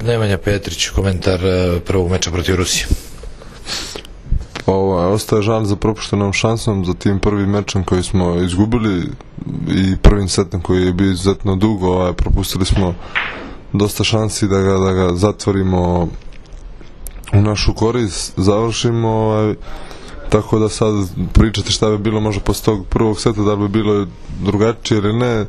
Nemanja Petrić, komentar prvog meča protiv Rusije. Ostaje žal za propuštenom šansom, za tim prvim mečem koji smo izgubili i prvim setom koji je bio izuzetno dugo. Propustili smo dosta šansi da ga zatvorimo u našu korist, završimo, tako da sad pričati šta bi bilo možda posle tog prvog seta, da li bi bilo drugačije ili ne,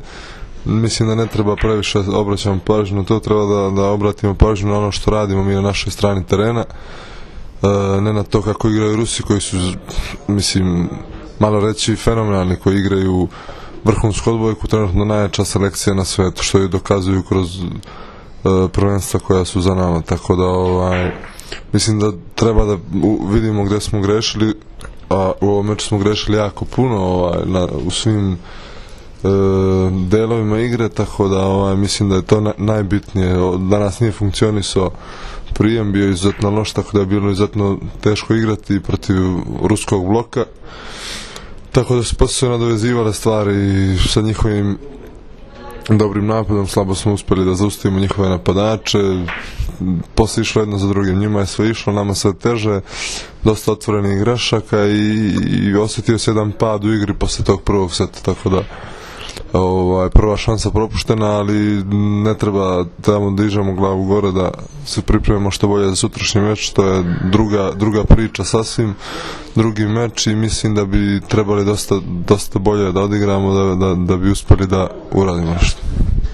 mislim da ne treba previše obraćamo pažnju na to, treba da obratimo pažnju na ono što radimo mi na našoj strani terena, ne na to kako igraju Rusi koji su, mislim, malo reći fenomenalni, koji igraju vrhunsku odbojku, trenutno najjača selekcija na svetu, što je dokazuju kroz prvenstva koja su za nama, tako da mislim da treba da vidimo gde smo grešili, a u ovom meču smo grešili jako puno u svim delovima igre, tako da mislim da je to najbitnije. Danas nije funkcionisao prijem, bio izuzetno loš, tako da je bilo izuzetno teško igrati protiv ruskog bloka, tako da su posle nadovezivale stvari i sa njihovim dobrim napadom slabo smo uspeli da zaustavimo njihove napadače, posle išlo jedno za drugim, njima je sve išlo, nama sve teže, dosta otvorenih grešaka i osetio se jedan pad u igri posle tog prvog seta, tako da prva šansa propuštena, ali ne treba tamo da dižemo glavu gore, da se pripremimo što bolje za sutrašnji meč, to je druga priča sasvim, drugi meč, i mislim da bi trebali dosta bolje da odigramo da bi uspeli da uradimo nešto.